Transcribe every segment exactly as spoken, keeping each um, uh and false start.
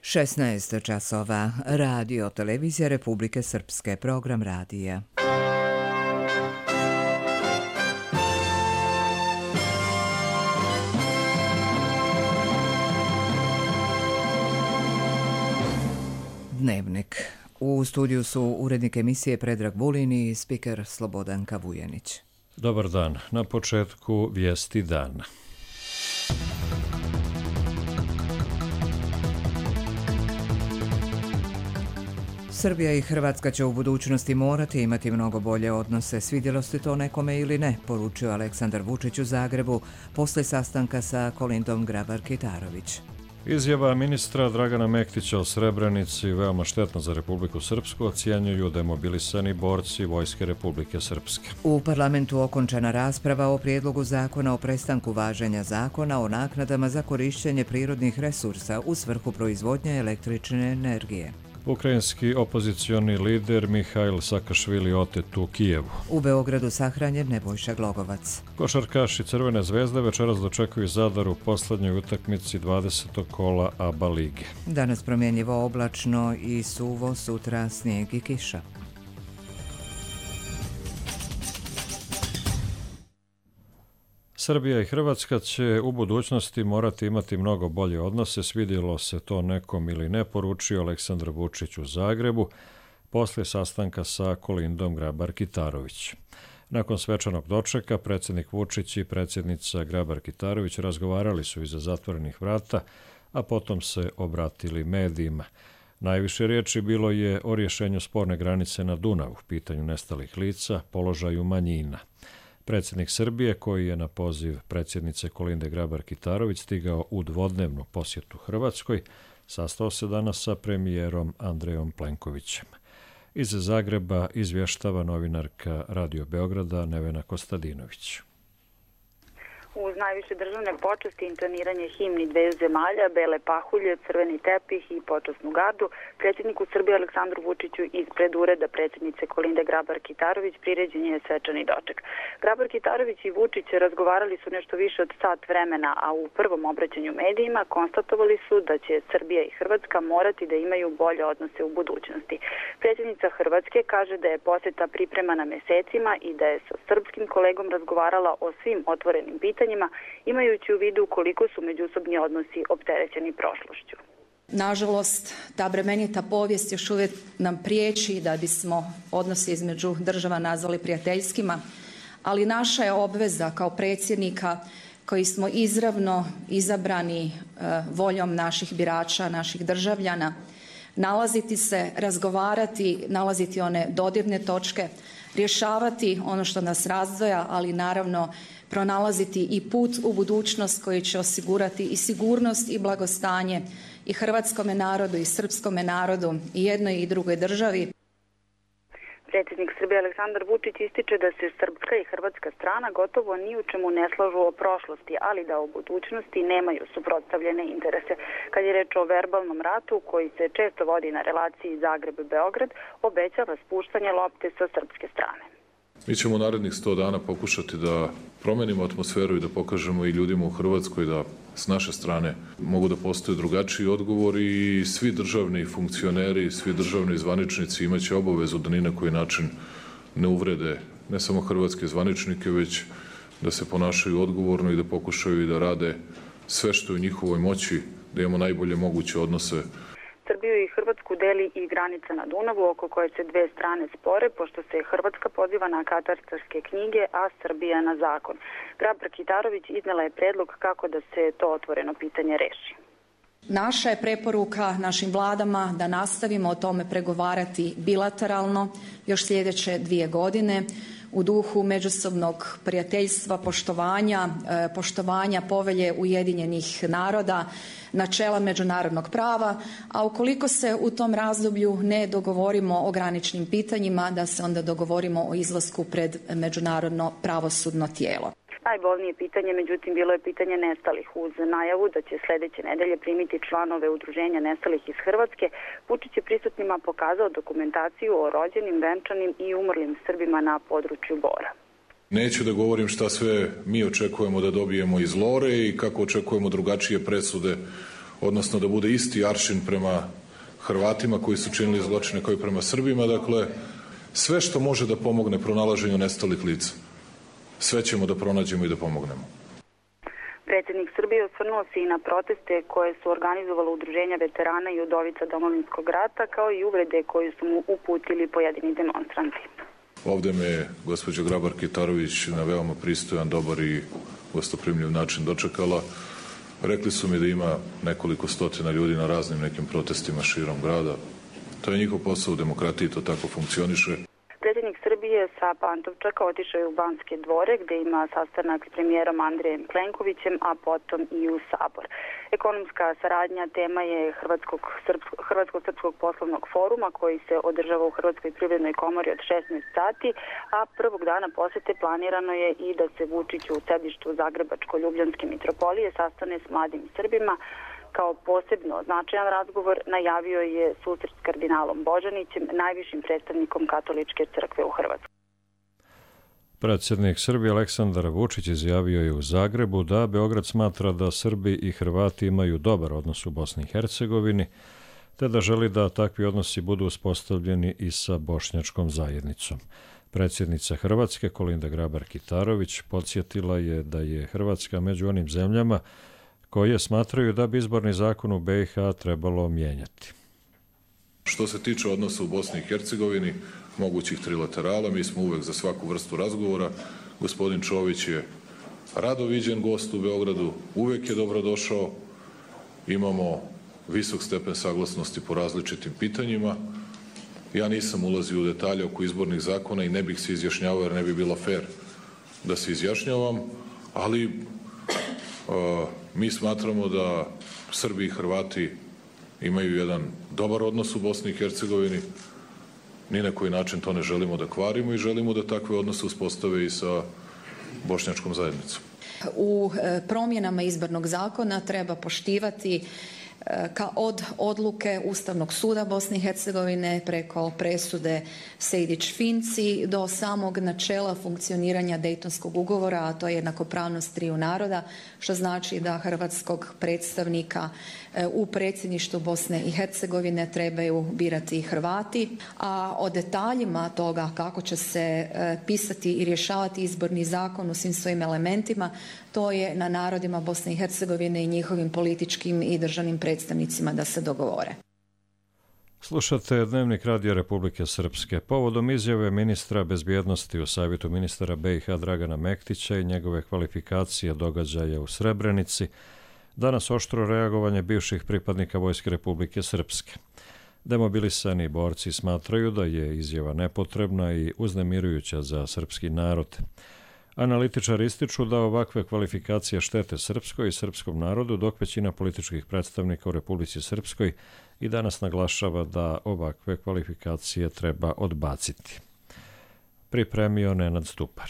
šesnaest časova. Radio Televizija Republike Srpske. Program radija. Dnevnik. U studiju su urednik emisije Predrag Vulin i spiker Slobodanka Vujanić. Dobar dan. Na početku vijesti dana. Srbija i Hrvatska će u budućnosti morati imati mnogo bolje odnose, svidjelo se to nekome ili ne, poručio Aleksandar Vučić u Zagrebu posle sastanka sa Kolindom Grabar-Kitarović. Izjava ministra Dragana Mektića o Srebrenici, veoma štetna za Republiku Srpsku, ocjenjuju demobilisani borci Vojske Republike Srpske. U parlamentu okončana rasprava o prijedlogu zakona o prestanku važenja zakona o naknadama za korišćenje prirodnih resursa u svrhu proizvodnje električne energije. Ukrajinski opozicioni lider Mihajl Sakašvili otet u Kijevu. U Beogradu sahranjen Nebojša Glogovac. Košarkaši Crvene zvezde večeras dočekuju Zadar u poslednjoj utakmici dvadesetog kola A B A lige. Danas promjenjivo oblačno i suvo, sutra snijeg i kiša. Srbija i Hrvatska će u budućnosti morati imati mnogo bolje odnose, svidjelo se to nekom ili ne, poručio Aleksandar Vučić u Zagrebu poslije sastanka sa Kolindom Grabar-Kitarović. Nakon svečanog dočeka, predsjednik Vučić i predsjednica Grabar-Kitarović razgovarali su iza zatvorenih vrata, a potom se obratili medijima. Najviše riječi bilo je o rješenju sporne granice na Dunavu, pitanju nestalih lica, položaju manjina. Predsjednik Srbije, koji je na poziv predsjednice Kolinde Grabar-Kitarović stigao u dvodnevnu posjetu Hrvatskoj, sastao se danas sa premijerom Andrejom Plenkovićem. Iz Zagreba izvještava novinarka Radio Beograda Nevena Kostadinović. Uz najviše državne počasti, intoniranje himni dveju zemalja, bele pahulje, crveni tepih i počasnu gardu, predsjedniku Srbije Aleksandru Vučiću ispred ureda predsjednice Kolinde Grabar-Kitarović priređen je svečani doček. Grabar-Kitarović i Vučić razgovarali su nešto više od sat vremena, a u prvom obraćanju medijima konstatovali su da će Srbija i Hrvatska morati da imaju bolje odnose u budućnosti. Predsjednica Hrvatske kaže da je posjeta pripremana mesecima i da je sa srpskim kolegom razgovarala o svim otvorenim pitanjima, imajući u vidu koliko su međusobni odnosi opterećeni prošlošću. Nažalost, ta bremenita povijest još uvijek nam priječi da bismo odnose između država nazvali prijateljskima, ali naša je obveza kao predsjednika koji smo izravno izabrani e, voljom naših birača, naših državljana, nalaziti se, razgovarati, nalaziti one dodirne točke, rješavati ono što nas razdvaja, ali naravno pronalaziti i put u budućnost koji će osigurati i sigurnost i blagostanje i hrvatskome narodu i srpskome narodu i jednoj i drugoj državi. Predsjednik Srbije Aleksandar Vučić ističe da se srpska i hrvatska strana gotovo ni u čemu ne slažu o prošlosti, ali da u budućnosti nemaju suprotstavljene interese. Kad je reč o verbalnom ratu koji se često vodi na relaciji Zagreb-Beograd, obećava spuštanje lopte sa srpske strane. Mi ćemo u narednih sto dana pokušati da promenimo atmosferu i da pokažemo i ljudima u Hrvatskoj da s naše strane mogu da postoje drugačiji odgovori i svi državni funkcioneri, svi državni zvaničnici imaće obavezu da ni na koji način ne uvrede ne samo hrvatske zvaničnike, već da se ponašaju odgovorno i da pokušaju i da rade sve što je u njihovoj moći, da imamo najbolje moguće odnose. Srbiju i Hrvatsku deli i granica na Dunavu, oko koje se dve strane spore, pošto se Hrvatska poziva na katastarske knjige, a Srbija na zakon. Grabar-Kitarović iznela je predlog kako da se to otvoreno pitanje reši. Naša je preporuka našim vladama da nastavimo o tome pregovarati bilateralno još sljedeće dvije godine u duhu međusobnog prijateljstva, poštovanja, poštovanja povelje Ujedinjenih naroda, načela međunarodnog prava, a ukoliko se u tom razdoblju ne dogovorimo o graničnim pitanjima, da se onda dogovorimo o izlasku pred međunarodno pravosudno tijelo. Najbolnije pitanje, međutim, bilo je pitanje nestalih. Uz najavu da će sljedeće nedelje primiti članove udruženja nestalih iz Hrvatske, Vučić je prisutnima pokazao dokumentaciju o rođenim, venčanim i umrlim Srbima na području Bora. Neću da govorim šta sve mi očekujemo da dobijemo iz Lore i kako očekujemo drugačije presude odnosno da bude isti aršin prema Hrvatima koji su činili zločine kao i prema Srbima. Dakle, sve što može da pomogne pronalaženju nestalih lica, sve ćemo da pronađemo i da pomognemo. Predsjednik Srbije osvrnuo se i na proteste koje su organizovala udruženja veterana i udovica Domovinskog rata, kao i uvrede koje su mu uputili pojedini demonstranti. Ovde me je gospođa Grabar-Kitarović na veoma pristojan, dobar i gostoprimljiv način dočekala. Rekli su mi da ima nekoliko stotina ljudi na raznim nekim protestima širom grada. To je njihov posao u demokratiji, to tako funkcioniše. Predsjednik Srbije sa Pantovčaka otišao je u Banske dvore, gde ima sastanak s premijerom Andrejem Plenkovićem, a potom i u Sabor. Ekonomska saradnja tema je Hrvatsko-srpskog poslovnog foruma koji se održava u Hrvatskoj privrednoj komori od šesnaest sati, a prvog dana posete planirano je i da se Vučić u sedištu Zagrebačko-Ljubljanske mitropolije sastane s mladim Srbima. Kao posebno značajan razgovor najavio je susret s kardinalom Božanićem, najvišim predstavnikom katoličke crkve u Hrvatskoj. Predsjednik Srbije Aleksandar Vučić izjavio je u Zagrebu da Beograd smatra da Srbi i Hrvati imaju dobar odnos u Bosni i Hercegovini, te da želi da takvi odnosi budu uspostavljeni i sa bošnjačkom zajednicom. Predsjednica Hrvatske Kolinda Grabar-Kitarović podsjetila je da je Hrvatska među onim zemljama koje smatraju da bi izborni zakon u B i H trebalo mijenjati. Što se tiče odnosa u Bosni i Hercegovini, mogućih trilaterala, mi smo uvek za svaku vrstu razgovora. Gospodin Čović je rado viđen gost u Beogradu, uvek je dobrodošao. Imamo visok stepen saglasnosti po različitim pitanjima. Ja nisam ulazio u detalje oko izbornih zakona i ne bih se izjašnjavao jer ne bi bilo fair da se izjašnjavam, ali uh, mi smatramo da Srbi i Hrvati imaju jedan dobar odnos u Bosni i Hercegovini. Ni na koji način to ne želimo da kvarimo i želimo da takve odnose uspostave i sa bošnjačkom zajednicom. U promjenama izbornog zakona treba poštivati ka od odluke Ustavnog suda Bosne i Hercegovine preko presude Sejdić-Finci do samog načela funkcioniranja Dejtonskog ugovora, a to je jednakopravnost triju naroda, što znači da hrvatskog predstavnika u predsjedništvu Bosne i Hercegovine trebaju birati Hrvati, a o detaljima toga kako će se pisati i rješavati izborni zakon u svim svojim elementima, to je na narodima Bosne i Hercegovine i njihovim političkim i državnim predstavnicima da se dogovore. Slušate Dnevnik Radija Republike Srpske. Povodom izjave ministra bezbjednosti u Savjetu ministara B i H Dragana Mektića i njegove kvalifikacije događaja u Srebrenici, danas oštro reagovanje bivših pripadnika Vojske Republike Srpske. Demobilisani borci smatraju da je izjava nepotrebna i uznemirujuća za srpski narod. Analitičari ističu da ovakve kvalifikacije štete srpskoj i srpskom narodu, dok većina političkih predstavnika u Republici Srpskoj i danas naglašava da ovakve kvalifikacije treba odbaciti. Pripremio Nenad Stupar.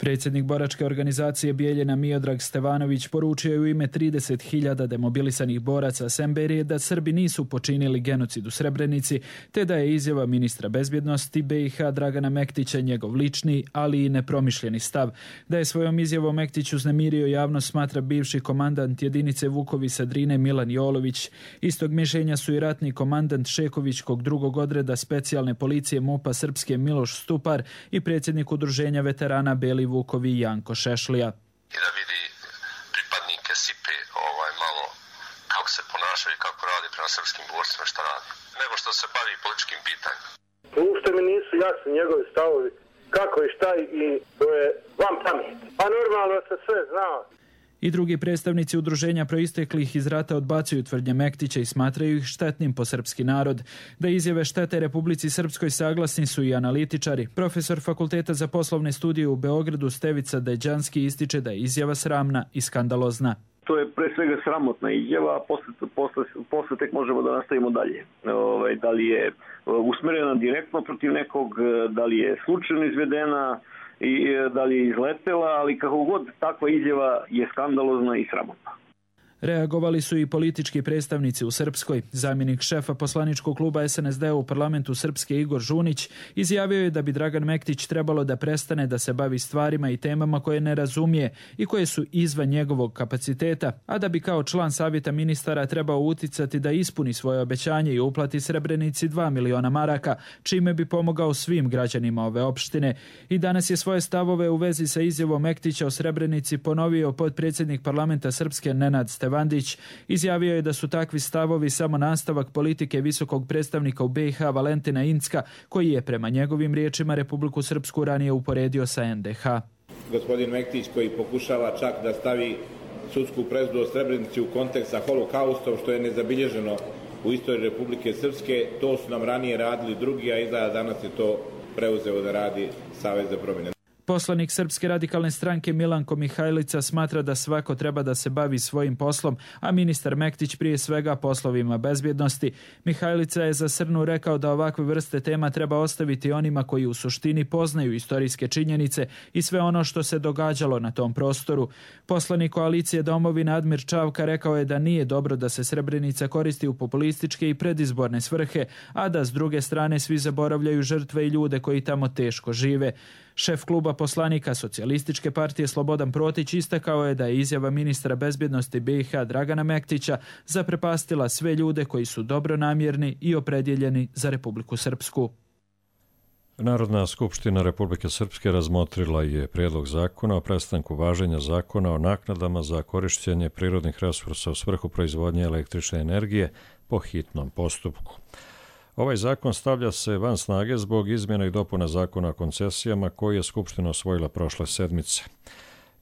Predsjednik boračke organizacije Bijeljina Miodrag Stevanović poručio je u ime trideset hiljada demobilisanih boraca Semberije da Srbi nisu počinili genocid u Srebrenici, te da je izjava ministra bezbjednosti B i H Dragana Mektića njegov lični, ali i nepromišljeni stav. Da je svojom izjavom Mektić uznemirio javnost, smatra bivši komandant jedinice Vukovi Sadrine Milan Jolović. Istog mišljenja su i ratni komandant Šekovićkog drugog odreda specijalne policije MUP-a Srpske Miloš Stupar i predsjednik udruženja veterana Beli Vukovi Janko Šešlija. I da vidi pripadnike Sipe ovaj, malo kako se ponašaju i kako radi prema srpskim borcima, šta radi, nego što se bavi političkim pitanjima. Uopšte mi nisu jasni njegovi stavovi, kako i šta i to je vam pamet. Pa normalno se sve zna. I drugi predstavnici udruženja proisteklih iz rata odbacuju tvrdnje Mektića i smatraju ih štetnim po srpski narod. Da izjave štete Republici Srpskoj saglasni su i analitičari. Profesor Fakulteta za poslovne studije u Beogradu Stevica Deđanski ističe da je izjava sramna i skandalozna. To je pre svega sramotna izjava, a posle, posle, posle tek možemo da nastavimo dalje. Ove, da li je usmerena direktno protiv nekog, da li je slučajno izvedena, i da li je izletela, ali kako god takva izjava je skandalozna i sramotna. Reagovali su i politički predstavnici u Srpskoj. Zamjenik šefa poslaničkog kluba es en es de u parlamentu Srpske Igor Žunić izjavio je da bi Dragan Mektić trebalo da prestane da se bavi stvarima i temama koje ne razumije i koje su izvan njegovog kapaciteta, a da bi kao član savjeta ministara trebao uticati da ispuni svoje obećanje i uplati Srebrenici dva miliona maraka, čime bi pomogao svim građanima ove opštine. I danas je svoje stavove u vezi sa izjavom Mektića o Srebrenici ponovio potpredsjednik parlamenta Srpske Nenad Stevandić. Izjavio je da su takvi stavovi samo nastavak politike visokog predstavnika u be i ha Valentina Incka, koji je prema njegovim riječima Republiku Srpsku ranije uporedio sa en de ha. Gospodin Mektić koji pokušava čak da stavi sudsku presudu o Srebrenici u kontekst sa holokaustom, što je nezabilježeno u istoriji Republike Srpske, to su nam ranije radili drugi, a izgleda danas je to preuzeo da radi Savez za promjene. Poslanik Srpske radikalne stranke Milanko Mihajlica smatra da svako treba da se bavi svojim poslom, a ministar Mektić prije svega poslovima bezbjednosti. Mihajlica je za Srnu rekao da ovakve vrste tema treba ostaviti onima koji u suštini poznaju istorijske činjenice i sve ono što se događalo na tom prostoru. Poslanik koalicije Domovina Admir Čavka rekao je da nije dobro da se Srebrenica koristi u populističke i predizborne svrhe, a da s druge strane svi zaboravljaju žrtve i ljude koji tamo teško žive. Šef kluba poslanika Socijalističke partije Slobodan Protić istakao je da je izjava ministra bezbjednosti be i ha Dragana Mektića zaprepastila sve ljude koji su dobronamjerni i opredjeljeni za Republiku Srpsku. Narodna skupština Republike Srpske razmotrila je prijedlog zakona o prestanku važenja zakona o naknadama za korišćenje prirodnih resursa u svrhu proizvodnje električne energije po hitnom postupku. Ovaj zakon stavlja se van snage zbog izmjena i dopuna zakona o koncesijama koji je Skupština osvojila prošle sedmice.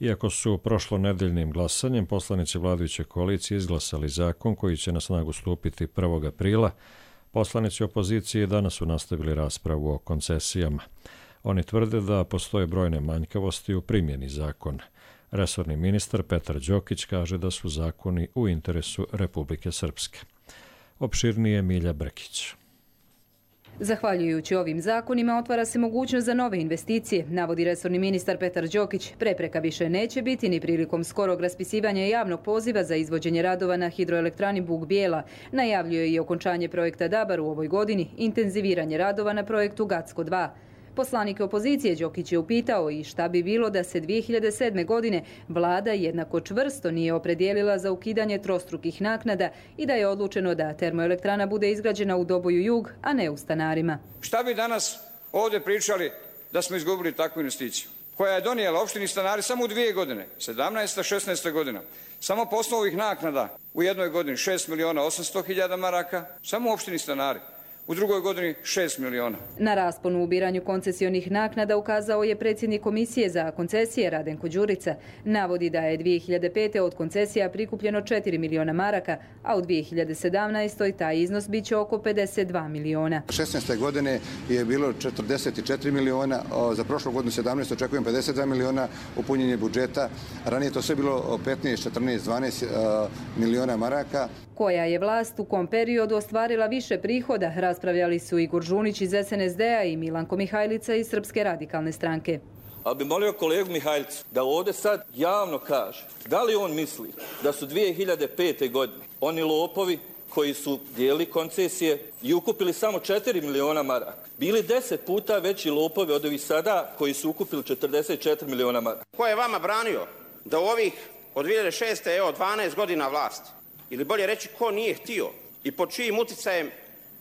Iako su prošlonedeljnim glasanjem poslanici vladajuće koalicije izglasali zakon koji će na snagu stupiti prvog aprila, poslanici opozicije danas su nastavili raspravu o koncesijama. Oni tvrde da postoje brojne manjkavosti u primjeni zakona. Resorni ministar Petar Đokić kaže da su zakoni u interesu Republike Srpske. Opširnije Milja Brkić. Zahvaljujući ovim zakonima otvara se mogućnost za nove investicije, navodi resorni ministar Petar Đokić. Prepreka više neće biti ni prilikom skorog raspisivanja javnog poziva za izvođenje radova na hidroelektrani Bug Bijela. Najavljuje i okončanje projekta Dabar u ovoj godini, intenziviranje radova na projektu Gacko dva. Poslanike opozicije Đokić je upitao i šta bi bilo da se dvije hiljade sedme. godine vlada jednako čvrsto nije opredijelila za ukidanje trostrukih naknada i da je odlučeno da termoelektrana bude izgrađena u Doboju Jug, a ne u Stanarima. Šta bi danas ovdje pričali da smo izgubili takvu investiciju koja je donijela opštini Stanari samo u dvije godine, sedamnaesta šesnaesta godina, samo po osnovu ovih naknada u jednoj godini šest miliona osamsto hiljada maraka, samo u opštini Stanari. U drugoj godini šest miliona. Na rasponu u ubiranju koncesionih naknada ukazao je predsjednik Komisije za koncesije Radenko Đurica. Navodi da je dvije hiljade pete. od koncesija prikupljeno četiri miliona maraka, a u dvije hiljade sedamnaestoj. taj iznos biće oko pedeset dva miliona. šesnaeste. godine je bilo četrdeset četiri miliona, za prošlu godinu sedamnaestu. očekujem pedeset dva miliona u punjenje budžeta. Ranije to sve bilo petnaest, četrnaest, dvanaest miliona maraka. Koja je vlast u kom periodu ostvarila više prihoda, raspravljali su Igor Žunić iz es en es de a i Milanko Mihajlica iz Srpske radikalne stranke. Ali bi molio kolegu Mihajlicu da ovdje sad javno kaže da li on misli da su dvije hiljade pete. godine oni lopovi koji su dijelili koncesije i ukupili samo četiri miliona maraka bili deset puta veći lopovi od ovih sada koji su ukupili četrdeset četiri miliona maraka. Ko je vama branio da u ovih od dvije hiljade šeste. evo dvanaest godina vlasti, ili bolje reći ko nije htio i pod čijim uticajem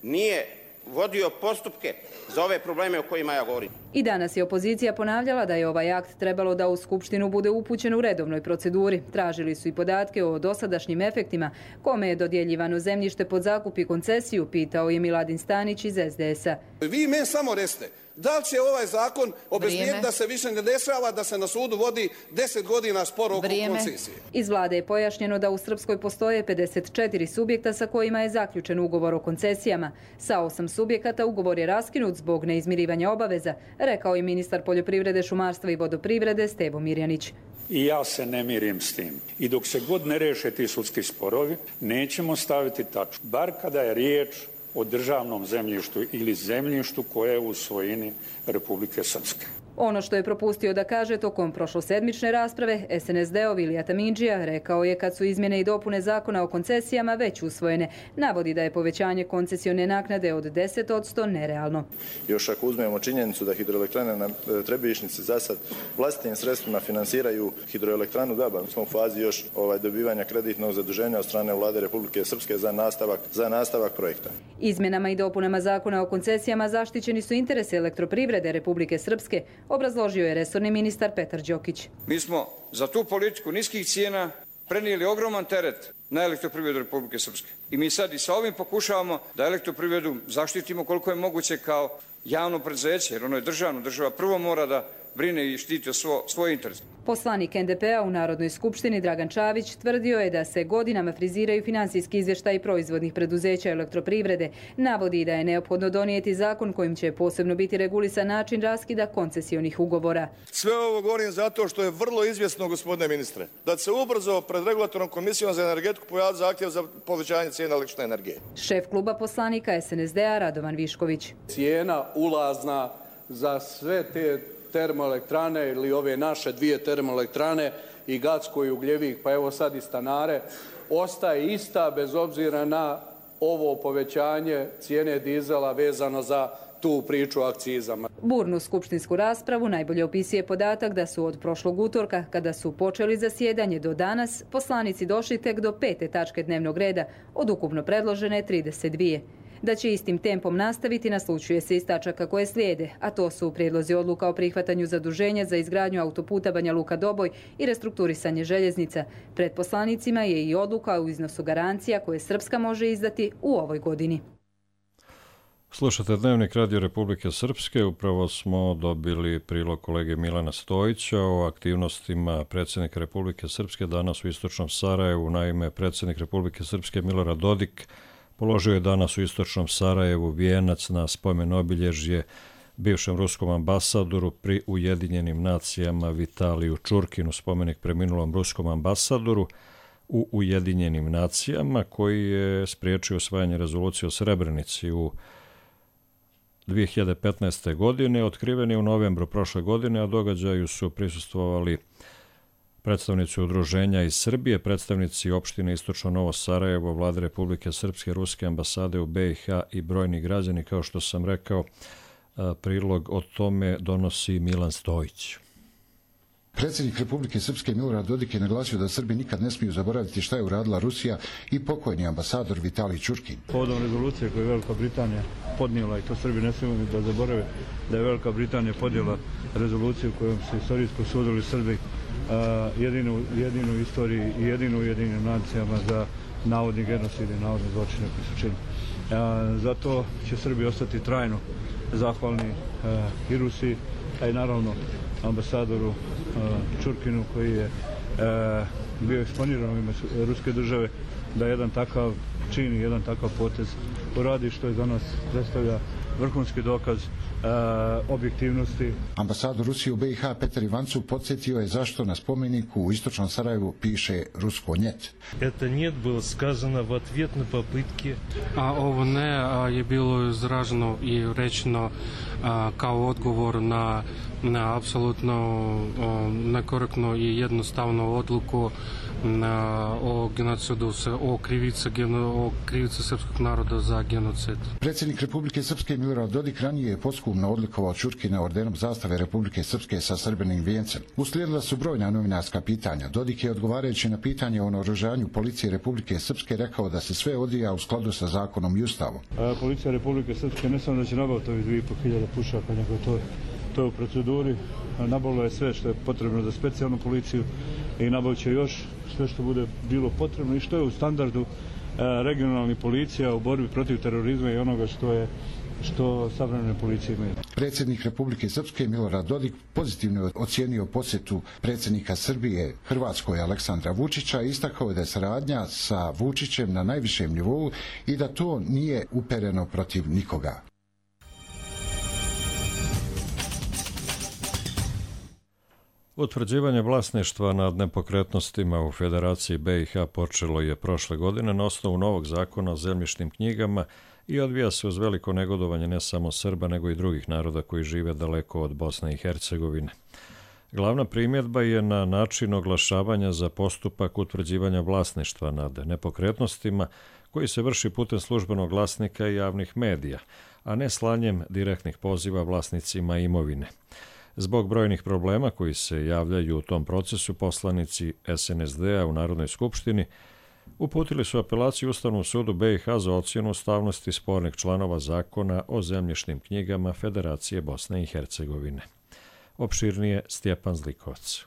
nije vodio postupke za ove probleme o kojima ja govorim. I danas je opozicija ponavljala da je ovaj akt trebalo da u Skupštinu bude upućen u redovnoj proceduri. Tražili su i podatke o dosadašnjim efektima, kome je dodjeljivano zemljište pod zakup i koncesiju, pitao je Miladin Stanić iz es de es a. Vi meni samo recite, da li će ovaj zakon obezbijediti da se više ne dešava da se na sudu vodi deset godina spor oko koncesije? Iz vlade je pojašnjeno da u Srpskoj postoje pedeset četiri subjekta sa kojima je zaključen ugovor o koncesijama. Sa osam subjekata ugovor je raskinut zbog neizmirivanja obaveza, rekao je ministar poljoprivrede, šumarstva i vodoprivrede Stevo Mirjanić. I ja se ne mirim s tim. I dok se god ne reše ti sudski sporovi, nećemo staviti tačku. Bar kada je riječ o državnom zemljištu ili zemljištu koje je u svojini Republike Srpske. Ono što je propustio da kaže tokom prošlosedmične rasprave, es en es de-ov Ilija Tamindžija rekao je kad su izmjene i dopune zakona o koncesijama već usvojene. Navodi da je povećanje koncesione naknade od deset posto nerealno. Još ako uzmemo činjenicu da hidroelektrane na Trebišnjici za sad vlastitim sredstvima finansiraju hidroelektranu Gaban, smo u fazi još ovaj, dobivanja kreditnog zaduženja od strane vlade Republike Srpske za nastavak, za nastavak projekta. Izmjenama i dopunama zakona o koncesijama zaštićeni su interesi elektroprivrede Republike Srpske, obrazložio je resorni ministar Petar Đokić. Mi smo za tu politiku niskih cijena prenijeli ogroman teret na elektroprivredu Republike Srpske. I mi sad i sa ovim pokušavamo da elektroprivredu zaštitimo koliko je moguće kao javno preduzeće, jer ono je državno. Država prvo mora da brine i štiti svo, svoj interes. Poslanik en de pe a u Narodnoj skupštini Dragan Čavić tvrdio je da se godinama friziraju finansijski izvještaji proizvodnih preduzeća elektroprivrede. Navodi da je neophodno donijeti zakon kojim će posebno biti regulisan način raskida koncesionih ugovora. Sve ovo govorim zato što je vrlo izvjesno, gospodine ministre, da se ubrzo pred regulatornom komisijom za energetiku pojavi zahtjev za povećanje cijena električne energije. Šef kluba poslanika es en es de-a Radovan Višković. Cijena ulazna za sve te termoelektrane ili ove naše dvije termoelektrane i Gacko i Ugljevik, pa evo sad i Stanare, ostaje ista bez obzira na ovo povećanje cijene dizela vezano za tu priču o akcizama. Burnu skupštinsku raspravu najbolje opisuje podatak da su od prošlog utorka, kada su počeli zasjedanje, do danas poslanici došli tek do pete tačke dnevnog reda od ukupno predložene trideset dvije. Da će istim tempom nastaviti naslučuje se iz tačaka koje slijede, a to su prijedlozi odluka o prihvatanju zaduženja za izgradnju autoputa Banja Luka-Doboj i restrukturisanje željeznica. Pred poslanicima je i odluka o iznosu garancija koje Srpska može izdati u ovoj godini. Slušate Dnevnik Radio Republike Srpske. Upravo smo dobili prilog kolege Milana Stojića o aktivnostima predsjednika Republike Srpske danas u istočnom Sarajevu. Naime, predsjednik Republike Srpske Milorad Dodik položio je danas u istočnom Sarajevu vijenac na spomen obilježje bivšem ruskom ambasadoru pri Ujedinjenim nacijama Vitaliju Čurkinu, spomenik preminulom ruskom ambasadoru u Ujedinjenim nacijama koji je spriječio usvajanje rezolucije o Srebrenici u dvije hiljade petnaeste. godine. Otkriven je u novembru prošle godine, a događaju su prisustvovali predstavnici udruženja iz Srbije, predstavnici opštine Istočno Novo Sarajevo, Vlade Republike Srpske, Ruske ambasade u be i ha i brojni građani. Kao što sam rekao, prilog o tome donosi Milan Stojić. Predsjednik Republike Srpske Milorad Dodik je naglasio da Srbi nikad ne smiju zaboraviti šta je uradila Rusija i pokojni ambasador Vitalij Čurkin. Povodom rezolucije koju je Velika Britanija podnijela, i to Srbi ne smiju da zaborave, da je Velika Britanija podnijela rezoluciju kojom se istorijsko sudili Srbi Uh, jedinu, jedinu u istoriji i jedinu u Ujedinjenim nacijama za navodni genocid i navodne zločine koji su činili. Uh, zato će Srbi ostati trajno zahvalni uh, i Rusiji, a i naravno ambasadoru uh, Čurkinu koji je uh, bio eksponiran u ime Ruske države da jedan takav čin i jedan takav potez uradi, što je za nas predstavlja vrhunski dokaz Uh, objektivnosti. Ambasador Rusije u be i ha Petar Ivancov podsjetio je zašto na spomeniku u istočnom Sarajevu piše rusko njet. Это нет было сказано в ответ на попытки. A ovo ne a, je bilo izraženo i rečeno a, kao odgovor na, na apsolutno nekorektno i jednostavnu odluku na, o genocidu, o krivici, o krivici srpskog naroda za genocid. Predsjednik Republike Srpske Milorad Dodik ranije je posthumno odlikovao Čurkina ordenom zastave Republike Srpske sa srebrnim vijencem. Uslijedila su brojna novinarska pitanja. Dodik je odgovarajući na pitanje o naoružanju policije Republike Srpske rekao da se sve odvija u skladu sa zakonom i ustavom. A, policija Republike Srpske ne samo da će nabaviti ovih dvije i pol hiljade pušaka, nego to, to je u proceduri. Nabavilo je sve što je potrebno za specijalnu policiju i nabavit će još sve što bude bilo potrebno i što je u standardu regionalnih policija u borbi protiv terorizma i onoga što je što savremene policije imaju. Predsjednik Republike Srpske Milorad Dodik pozitivno ocijenio posjetu predsjednika Srbije Hrvatskoj Aleksandra Vučića i istakao da je saradnja sa Vučićem na najvišem nivou i da to nije upereno protiv nikoga. Utvrđivanje vlasništva nad nepokretnostima u Federaciji be i ha počelo je prošle godine na osnovu novog zakona o zemljišnim knjigama i odvija se uz veliko negodovanje ne samo Srba, nego i drugih naroda koji žive daleko od Bosne i Hercegovine. Glavna primjedba je na način oglašavanja za postupak utvrđivanja vlasništva nad nepokretnostima koji se vrši putem službenog glasnika i javnih medija, a ne slanjem direktnih poziva vlasnicima imovine. Zbog brojnih problema koji se javljaju u tom procesu, poslanici S N S D-a u Narodnoj skupštini uputili su apelaciju Ustavnom sudu B i H za ocjenu ustavnosti spornih članova zakona o zemljišnim knjigama Federacije Bosne i Hercegovine. Opširnije Stjepan Zlikovac.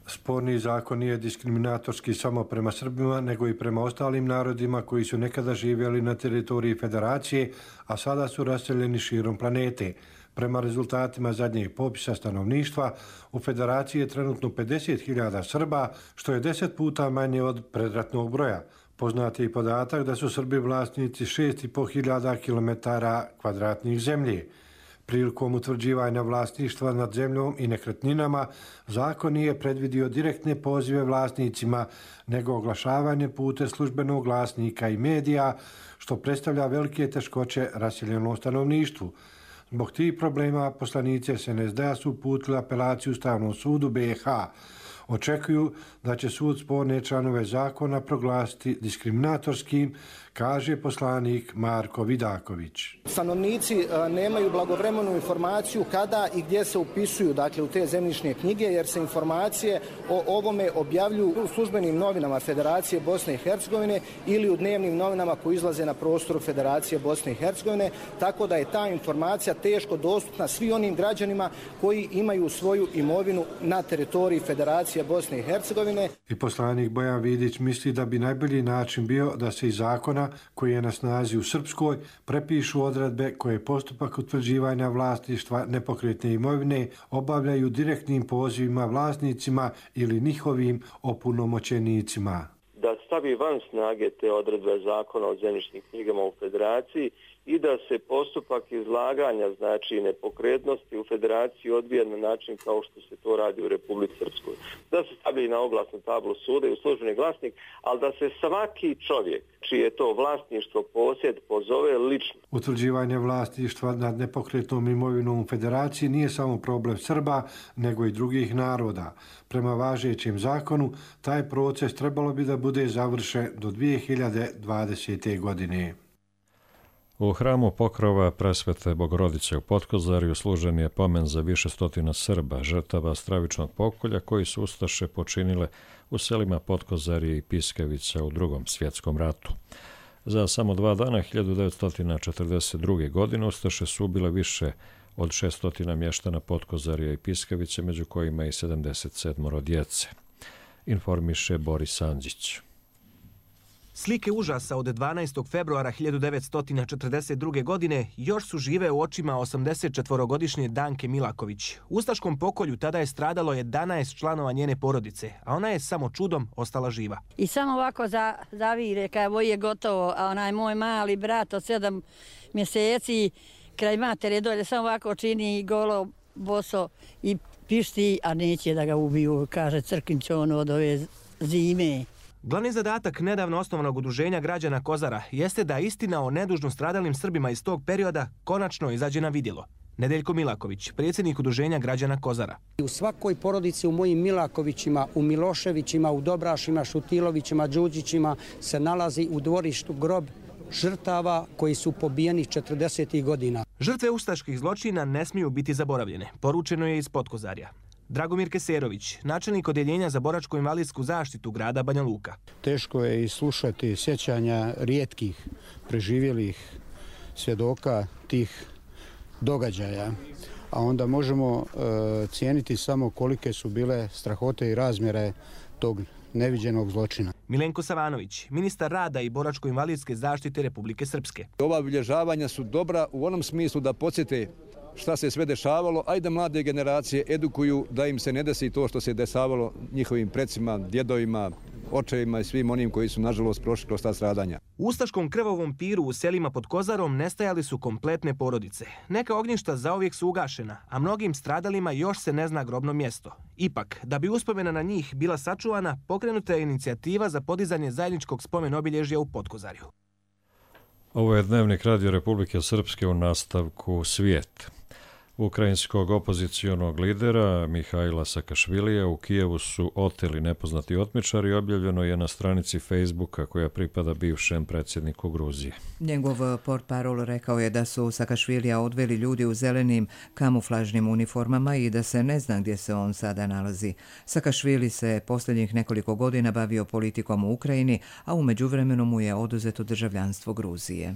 Sporni zakon nije diskriminatorski samo prema Srbima, nego i prema ostalim narodima koji su nekada živjeli na teritoriji Federacije, a sada su raseljeni širom planete. Prema rezultatima zadnjeg popisa stanovništva, u Federaciji je trenutno pedeset hiljada Srba, što je deset puta manje od predratnog broja. Poznat je i podatak da su Srbi vlasnici šest i pol hiljada kilometara kvadratnih zemlje. Prilikom utvrđivanja vlasništva nad zemljom i nekretninama, zakon nije predvidio direktne pozive vlasnicima, nego oglašavanje putem službenog glasnika i medija, što predstavlja velike teškoće raseljenom stanovništvu. Zbog tih problema poslanici S N S D-a su uputili apelaciju Ustavnom sudu B i H. Očekuju da će sud sporne članove zakona proglasiti diskriminatorskim, kaže poslanik Marko Vidaković. Stanovnici nemaju blagovremenu informaciju kada i gdje se upisuju, dakle, u te zemljišne knjige, jer se informacije o ovome objavljuju u službenim novinama Federacije Bosne i Hercegovine ili u dnevnim novinama koji izlaze na prostoru Federacije Bosne i Hercegovine, tako da je ta informacija teško dostupna svim onim građanima koji imaju svoju imovinu na teritoriji Federacije Bosne i Hercegovine. I poslanik Bojan Vidić misli da bi najbolji način bio da se iz zakona koji je na snazi u Srpskoj prepišu odredbe koje postupak utvrđivanja vlasništva nepokretne imovine obavljaju direktnim pozivima vlasnicima ili njihovim opunomoćenicima. Da stavi van snage te odredbe zakona o zemljišnim knjigama u Federaciji i da se postupak izlaganja, znači nepokretnosti u Federaciji odvija na način kao što se to radi u Republici Srpskoj. Da se stavi na oglasnu tablu suda i u službeni glasnik, ali da se svaki čovjek čije je to vlasništvo, posjed, pozove lično. Utvrđivanje vlasništva nad nepokretnom imovinom u Federaciji nije samo problem Srba, nego i drugih naroda. Prema važećem zakonu, taj proces trebalo bi da bude završen do dvije hiljade dvadesete. godine. U hramu Pokrova Presvete Bogorodice u Potkozarju služen je pomen za više stotina Srba, žrtava stravičnog pokolja koji su ustaše počinile u selima Potkozarje i Piskevica u Drugom svjetskom ratu. Za samo dva dana, hiljadu devetsto četrdeset druge. godine, ustaše su ubile više od šeststo mještana Potkozarja i Piskevice, među kojima i sedamdeset sedam djece. Informiše Boris Andžić. Slike užasa od dvanaestog februara hiljadu devetsto četrdeset druge. godine još su žive u očima osamdesetčetvorogodišnje Danke Milaković. U ustaškom pokolju tada je stradalo jedanaest članova njene porodice, a ona je samo čudom ostala živa. I samo ovako za, zavire, kao je gotovo, a onaj moj mali brat od sedam mjeseci kraj matere dolje samo ovako čini golo, boso i pišti, a neće da ga ubiju, kaže Crkinć on od ove zime. Glavni zadatak nedavno osnovanog udruženja građana Kozara jeste da istina o nedužno stradalim Srbima iz tog perioda konačno izađe na vidjelo. Nedeljko Milaković, predsjednik udruženja građana Kozara. U svakoj porodici, u mojim Milakovićima, u Miloševićima, u Dobrašima, Šutilovićima, Đuđićima se nalazi u dvorištu grob žrtava koji su pobijeni četrdesetih godina. Žrtve ustaških zločina ne smiju biti zaboravljene, poručeno je iz Potkozarja. Dragomir Keserović, načelnik Odjeljenja za boračko-invalidsku zaštitu grada Banja Luka. Teško je i slušati sjećanja rijetkih preživjelih svjedoka tih događaja, a onda možemo e, cijeniti samo kolike su bile strahote i razmjere tog neviđenog zločina. Milenko Savanović, ministar rada i boračko-invalidske zaštite Republike Srpske. Ova obilježavanja su dobra u onom smislu da podsjete šta se sve dešavalo, a i da mlade generacije edukuju da im se ne desi to što se dešavalo njihovim precima, djedovima, očevima i svim onim koji su nažalost prošli kroz ta stradanja. U ustaškom krvavom piru u selima pod Kozarom nestajali su kompletne porodice. Neka ognjišta zauvijek su ugašena, a mnogim stradalima još se ne zna grobno mjesto. Ipak, da bi uspomena na njih bila sačuvana, pokrenuta je inicijativa za podizanje zajedničkog spomen obilježja u Potkozarju. Ovo je Dnevnik Radio Republike Srpske u nastavku Svijet. Ukrajinskog opozicionog lidera Mihajla Sakašvilija u Kijevu su oteli nepoznati otmičari, objavljeno je na stranici Facebooka koja pripada bivšem predsjedniku Gruzije. Njegov portparol rekao je da su Sakašvilija odveli ljudi u zelenim kamuflažnim uniformama i da se ne zna gdje se on sada nalazi. Sakašvili se posljednjih nekoliko godina bavio politikom u Ukrajini, a u međuvremenu mu je oduzeto državljanstvo Gruzije.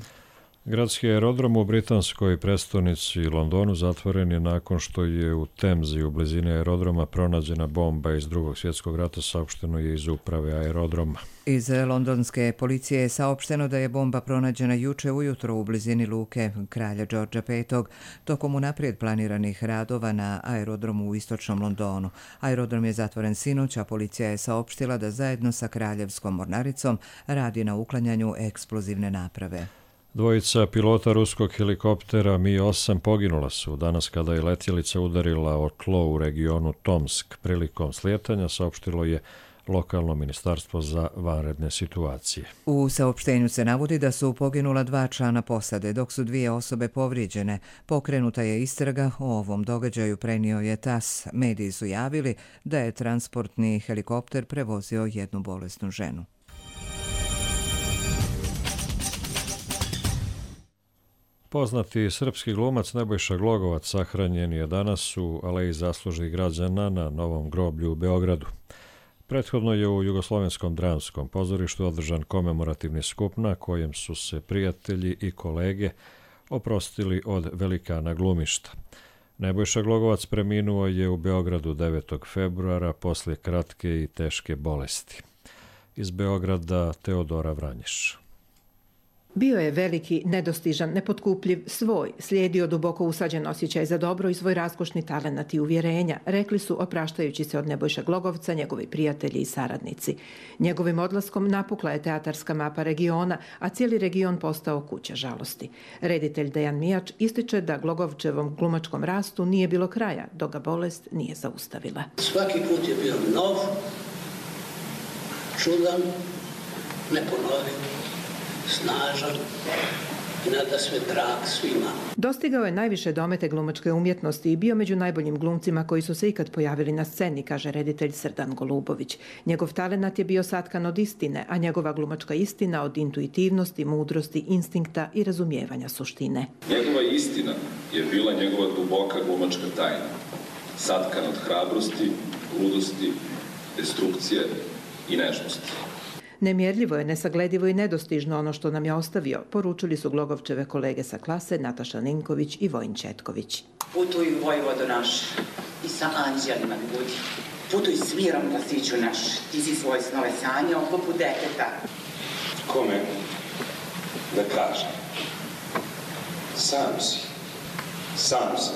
Gradski aerodrom u britanskoj prestonici Londonu zatvoren je nakon što je u Temzi u blizini aerodroma pronađena bomba iz Drugog svjetskog rata, saopšteno je iz uprave aerodroma. Iz londonske policije je saopšteno da je bomba pronađena juče ujutro u blizini luke Kralja Đorđa petog tokom unaprijed planiranih radova na aerodromu u istočnom Londonu. Aerodrom je zatvoren sinoć, a policija je saopštila da zajedno sa Kraljevskom mornaricom radi na uklanjanju eksplozivne naprave. Dvojica pilota ruskog helikoptera Mi osam poginula su danas kada je letjelica udarila o tlo u regionu Tomsk. Prilikom slijetanja saopštilo je lokalno ministarstvo za vanredne situacije. U saopštenju se navodi da su poginula dva člana posade, dok su dvije osobe povrijeđene. Pokrenuta je istraga o ovom događaju, prenio je tas. Mediji su javili da je transportni helikopter prevozio jednu bolesnu ženu. Poznati srpski glumac Nebojša Glogovac sahranjen je danas u Aleji zaslužnih građana na Novom groblju u Beogradu. Prethodno je u Jugoslovenskom dramskom pozorištu održan komemorativni skup na kojem su se prijatelji i kolege oprostili od velikana glumišta. Nebojša Glogovac preminuo je u Beogradu devetog februara poslije kratke i teške bolesti. Iz Beograda Teodora Vranješ. Bio je veliki, nedostižan, nepotkupljiv, svoj, slijedio duboko usađen osjećaj za dobro i svoj raskošni talenat i uvjerenja, rekli su opraštajući se od Nebojše Glogovca njegovi prijatelji i saradnici. Njegovim odlaskom napukla je teatarska mapa regiona, a cijeli region postao kuća žalosti. Reditelj Dejan Mijač ističe da Glogovčevom glumačkom rastu nije bilo kraja, dok ga bolest nije zaustavila. Svaki put je bio nov, čudan, neponovljiv, snažan i nada sve drag svima. Dostigao je najviše domete glumačke umjetnosti i bio među najboljim glumcima koji su se ikad pojavili na sceni, kaže reditelj Srdan Golubović. Njegov talenat je bio satkan od istine, a njegova glumačka istina od intuitivnosti, mudrosti, instinkta i razumijevanja suštine. Njegova istina je bila njegova duboka glumačka tajna, satkan od hrabrosti, ludosti, destrukcije i nežnosti. Nemjerljivo je, nesagledivo i nedostižno ono što nam je ostavio, poručili su Glogovčeve kolege sa klase Nataša Ninković i Vojin Četković. Putuj Vojvodo naš i sa anđelima budi. Putuj s mirom glasiću naš, ti si svoje snove sanjao poput deteta. Kome da kažem? Sam si, sam si,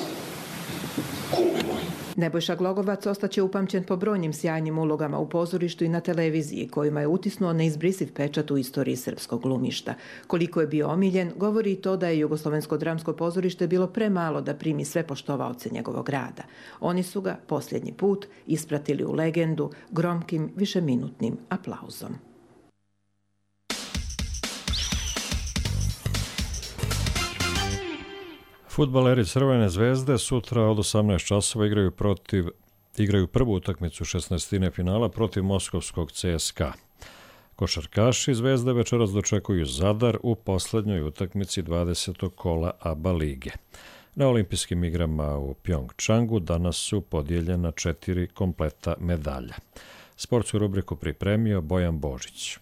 kume moj. Nebojša Glogovac ostaće upamćen po brojnim sjajnim ulogama u pozorištu i na televiziji, kojima je utisnuo neizbrisiv pečat u istoriji srpskog glumišta. Koliko je bio omiljen, govori i to da je Jugoslovensko dramsko pozorište bilo premalo da primi sve poštovaoce njegovog rada. Oni su ga posljednji put ispratili u legendu gromkim višeminutnim aplauzom. Fudbaleri Crvene zvezde sutra od osamnaest časova igraju protiv igraju prvu utakmicu šesnaestine finala protiv moskovskog C S K A. Košarkaši Zvezde večeras dočekuju Zadar u posljednjoj utakmici dvadesetog kola A B A lige. Na olimpijskim igrama u Pjongčangu danas su podijeljena četiri kompleta medalja. Sportsku rubriku pripremio Bojan Božić.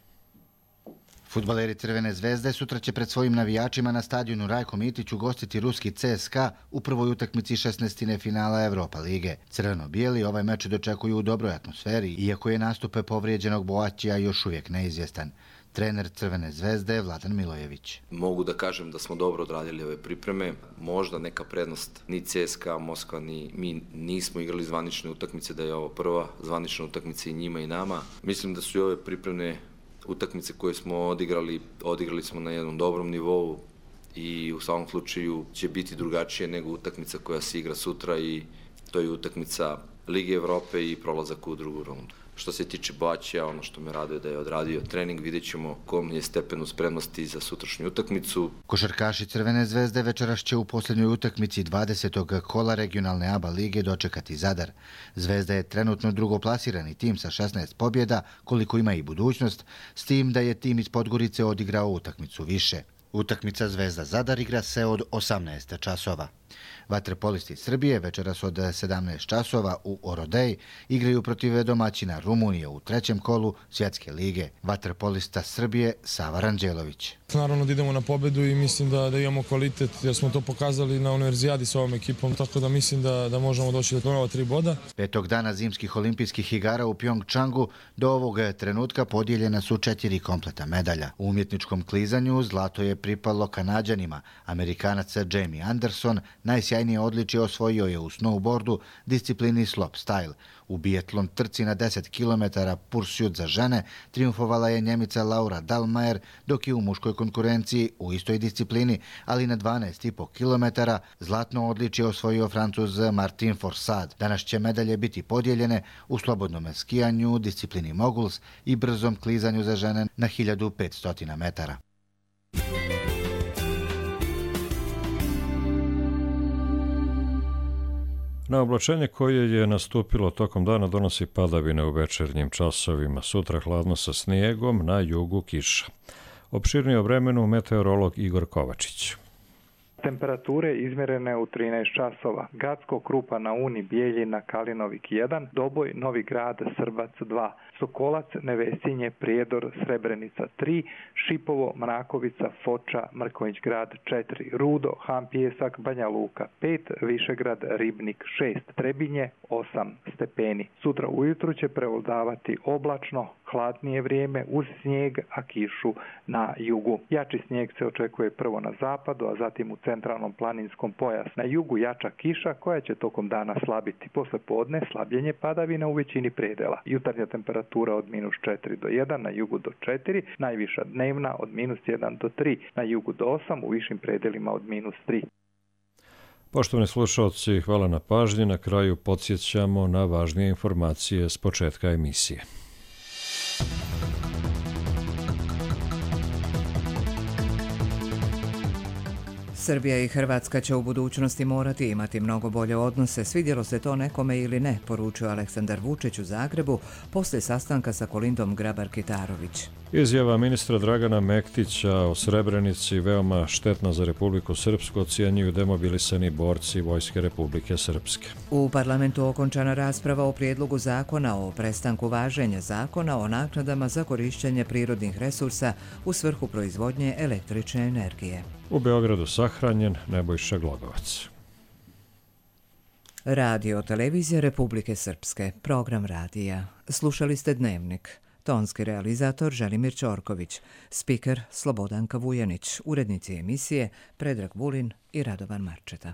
Fudbaleri Crvene zvezde sutra će pred svojim navijačima na stadionu Rajko Mitić ugostiti ruski C S K A u prvoj utakmici šesnaestine finala Evropa lige. Crveno-bijeli ovaj meč dočekuju u dobroj atmosferi, iako je nastupe povrijeđenog Boaćija još uvijek neizvjestan. Trener Crvene zvezde Vladan Milojević. Mogu da kažem da smo dobro odradili ove pripreme. Možda neka prednost ni C S K A, Moskva, ni mi nismo igrali zvanične utakmice, da je ovo prva zvanična utakmica i njima i nama. Mislim da su i ove pripremne utakmice koje smo odigrali, odigrali smo na jednom dobrom nivou i u svakom slučaju će biti drugačije nego utakmica koja se igra sutra i to je utakmica Lige Evrope i prolazak u drugu rundu. Što se tiče Baćija, ono što me raduje da je odradio trening, vidjet ćemo kom je stepenu spremnosti za sutrašnju utakmicu. Košarkaši Crvene zvezde večeras će u posljednjoj utakmici dvadesetog kola regionalne A B A lige dočekati Zadar. Zvezda je trenutno drugoplasirani tim sa šesnaest pobjeda, koliko ima i budućnost, s tim da je tim iz Podgorice odigrao utakmicu više. Utakmica Zvezda Zadar igra se od osamnaest časova. Vaterpolisti Srbije večeras od sedamnaest časova u Orodeji igraju protiv domaćina Rumunije u trećem kolu Svjetske lige. Vaterpolista Srbije Sava Ranđelović. Naravno da idemo na pobedu i mislim da, da imamo kvalitet jer smo to pokazali na univerzijadi s ovom ekipom, tako da mislim da, da možemo doći do ova tri boda. Petog dana zimskih olimpijskih igara u Pjongčangu do ovog trenutka podijeljena su četiri kompleta medalja. U umjetničkom klizanju zlato je pripalo Kanađanima. Amerikanac Jamie Anderson najsjajnije odličje osvojio je u snowboardu disciplini slopestyle. U biatlon trci na deset kilometara pursuit za žene triumfovala je Njemica Laura Dahlmeier, dok je u muškoj konkurenciji u istoj disciplini, ali na dvanaest i po kilometara, zlatno odličje osvojio Francuz Martin Forsad. Danas će medalje biti podijeljene u slobodnom skijanju, disciplini moguls i brzom klizanju za žene na hiljadu petsto metara. Na oblačenje koje je nastupilo tokom dana donosi padavine u večernjim časovima. Sutra hladno sa snijegom, na jugu kiša. Opširnije o vremenu meteorolog Igor Kovačić. Temperature izmjerene u trinaest časova. Gacko, Krupa na Uni, Bijeljina, Kalinovik jedan, Doboj, Novi Grad, Srbac dva, Sokolac, Nevesinje, Prijedor, Srebrenica tri, Šipovo, Mrakovica, Foča, Mrkonjić Grad četiri, Rudo, Han Pijesak, Banja Luka pet, Višegrad, Ribnik šest, Trebinje osam stepeni. Sutra ujutru će prevladavati oblačno, hladnije vrijeme uz snijeg, a kišu na jugu. Jači snijeg se očekuje prvo na zapadu, a zatim u centralnom planinskom pojasu. Na jugu jača kiša koja će tokom dana slabiti. Posle podne slabljenje padavina u većini predela. Jutarnja temperatura od minus četiri do jedan, na jugu do četiri, najviša dnevna od minus jedan do tri, na jugu do osam, u višim predelima od minus tri. Poštovani slušalci, hvala na pažnji. Na kraju podsjećamo na važnije informacije s početka emisije. Srbija i Hrvatska će u budućnosti morati imati mnogo bolje odnose, svidjelo se to nekome ili ne, poručio Aleksandar Vučić u Zagrebu poslije sastanka sa Kolindom Grabar-Kitarović. Izjava ministra Dragana Mektića o Srebrenici veoma štetna za Republiku Srpsku ocjenjuju demobilisani borci Vojske Republike Srpske. U parlamentu okončana rasprava o prijedlogu zakona o prestanku važenja zakona o naknadama za korišćenje prirodnih resursa u svrhu proizvodnje električne energije. U Beogradu sahranjen Nebojša Glogovac. Radio televizija Republike Srpske, program radija. Slušali ste Dnevnik. Tonski realizator Želimir Ćorković, spiker Slobodanka Vujanić, urednici emisije Predrag Vulin i Radovan Marčeta.